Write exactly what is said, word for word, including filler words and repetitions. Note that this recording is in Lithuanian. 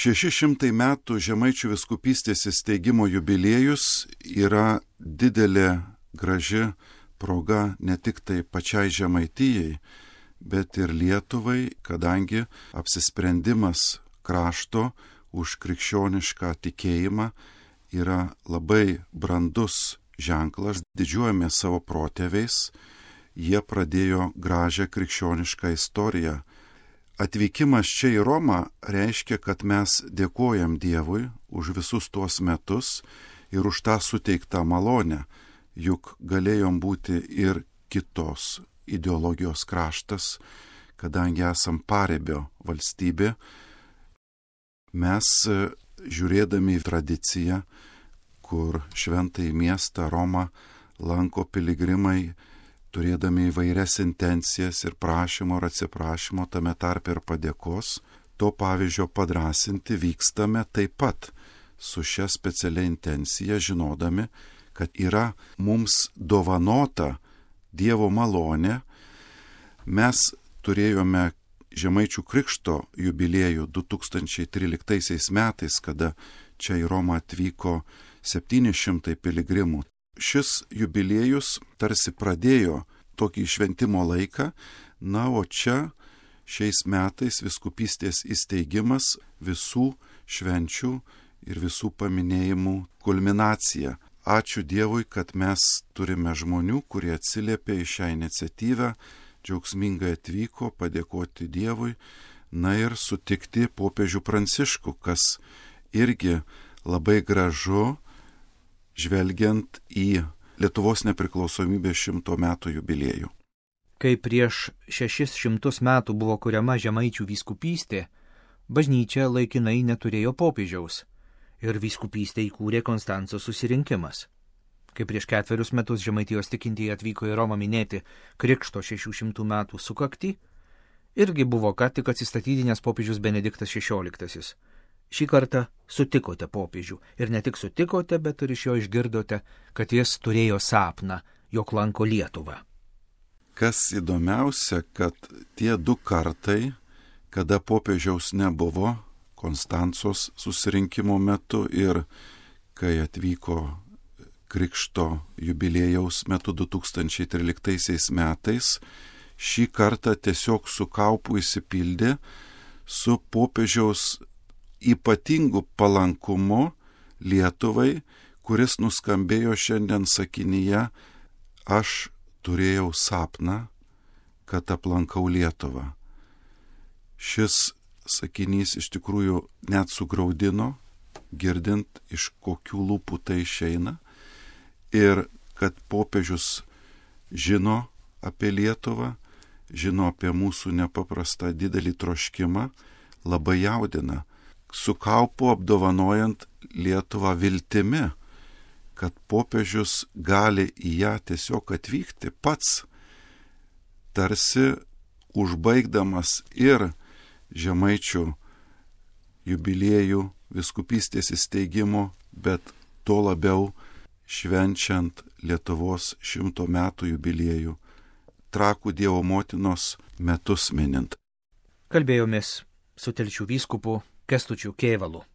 Šeši šimtai metų Žemaičių vyskupystės įsteigimo jubiliejus yra didelė graži proga ne tik tai pačiai Žemaitijai, bet ir Lietuvai, kadangi apsisprendimas krašto už krikščionišką tikėjimą yra labai brandus ženklas. Didžiuojamės savo protėviais, jie pradėjo gražią krikščionišką istoriją. Atvykimas čia į Romą reiškia, kad mes dėkojam Dievui už visus tuos metus ir už tą suteiktą malonę, juk galėjom būti ir kitos ideologijos kraštas, kadangi esam paribio valstybė. Mes, žiūrėdami į tradiciją, kur šventąjį miestą Romą lanko piligrimai, turėdami įvairias intencijas ir prašymo ir atsiprašymo, tame tarpe ir padėkos, to pavyzdžio padrasinti vykstame taip pat su šia specialia intencija, žinodami, kad yra mums dovanota Dievo malonė. Mes turėjome Žemaičių krikšto jubiliejų du tūkstančiai tryliktaisiais metais, kada čia į Romą atvyko septyni šimtai piligrimų. Šis jubiliejus tarsi pradėjo tokį šventimo laiką, na, o čia šiais metais vyskupystės įsteigimas visų švenčių ir visų paminėjimų kulminacija. Ačiū Dievui, kad mes turime žmonių, kurie atsiliepė į šią iniciatyvą, džiaugsmingai atvyko padėkoti Dievui, na ir sutikti popiežių Pranciškų, kas irgi labai gražu, žvelgiant į Lietuvos nepriklausomybės šimto metų jubiliejų. Kai prieš šešis šimtus metų buvo kuriama Žemaičių vyskupystė, bažnyčia laikinai neturėjo popiežiaus ir vyskupystę įkūrė Konstanco susirinkimas. Kai prieš ketverius metus Žemaitijos tikintieji atvyko į Romą minėti Krikšto šešių šimtų metų sukaktį, irgi buvo ką tik atsistatydinęs popiežius Benediktas šešioliktasis. Šį kartą sutikote popiežių ir ne tik sutikote, bet ir iš jo išgirdote, kad jis turėjo sapną, jog lanko Lietuvą. Kas įdomiausia, kad tie du kartai, kada popiežiaus nebuvo, Konstancos susirinkimo metu ir kai atvyko Krikšto jubiliejaus metu du tūkstančiai tryliktaisiais metais, šį kartą tiesiog su kaupu įsipildė su popiežiaus ypatingu palankumu Lietuvai, kuris nuskambėjo šiandien sakinyje: aš turėjau sapną, kad aplankau Lietuvą. Šis sakinys iš tikrųjų net sugraudino, girdint, iš kokių lūpų tai išeina, ir kad popiežius žino apie Lietuvą, žino apie mūsų nepaprastą didelį troškimą, labai jaudina, su kaupu apdovanojant Lietuvą viltimi, kad popiežius gali į ją tiesiog atvykti pats, tarsi užbaigdamas ir Žemaičių jubiliejų vyskupystės įsteigimo, bet to labiau švenčiant Lietuvos šimto metų jubiliejų, Trakų Dievo motinos metus minint. Kalbėjomės su Telšių vyskupu Kęstučiu Kėvalu.